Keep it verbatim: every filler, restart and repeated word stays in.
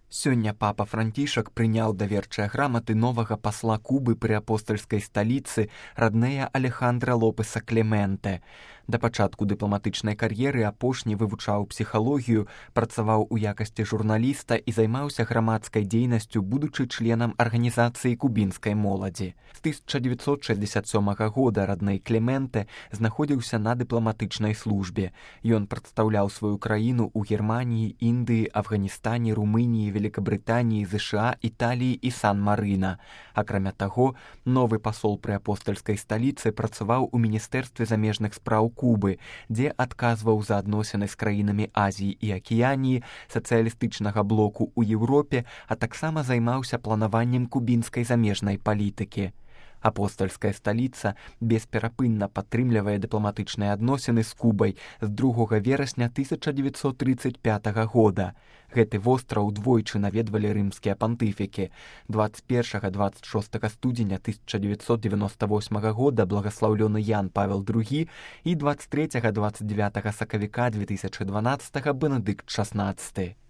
Сёння папа Францішак прыняў даверчыя граматы новага пасла Кубы пры апостальскай сталіцы раднея Алехандра Лопеса Клементе. Да пачатку дыпламатычнай кар'еры апошні вывучаў псіхалогію, працаваў у якасці журналіста і займаўся грамадскай дзейнасцю, будучы членам арганізацыі кубінскай моладзі. З тысяча дзевяцьсот шэсцьдзесят сёмага года радней Клементе знаходзіўся на дыпламатычнай службе. Ён прадстаўляў сваю краіну ў Германіі, Індыі, Афганістане, Румыніі, Великабрытаніі, ЗША, Італіі і Сан-Марына. Акрамя таго, новы пасол пры апостальскай сталіцы працаваў у міністэрстве замежных спраў Кубы, дзе адказваў за адносіны з краінамі Азіі і Акіяніі, сацыялістычнага блоку ў Еўропе, а таксама займаўся планаваннем кубінскай замежнай палітыкі. Апостальская сталіца бесперапынна падтрымлівае дыпламатычныя адносіны з Кубай з другога верасня тысяча дзевяцьсот трыццаць пятага года. Гэты востраў двойчы наведвалі рымскія пантыфікі. дваццаць першага - дваццаць шостага студзеня тысяча дзевяцьсот дзевяноста восьмага года благаслаўлёны Ян Павел другі і дваццаць трэцяга - дваццаць дзявятага сакавіка две тысячы дванаццатага Бенедыкт шаснаццаты.